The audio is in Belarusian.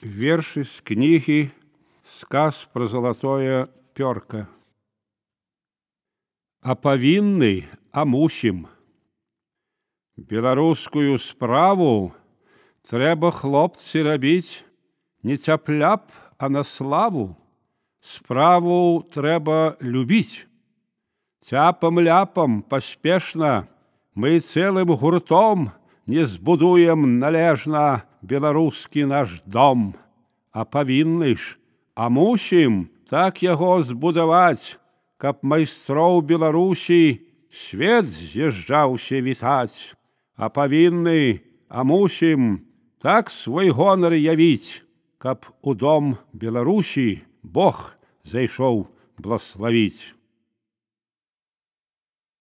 Вершы з кнігі «Сказ про золотое пёрка». А павінны, а мусім. Беларускую справу трэба, хлопцы, рабіць не цяпляп, а на славу. Справу трэба любіць. Цяпам-ляпам паспешна мы цэлым гуртом не збудуем належна беларускі наш дом. А павінны ж, а мусім так яго збудаваць, каб майстроў Беларусі свет з'язджаўся вітаць. А павінны, а мусім так свой гонар явіць, каб у дом Беларусі Бог зайшоў блаславіць.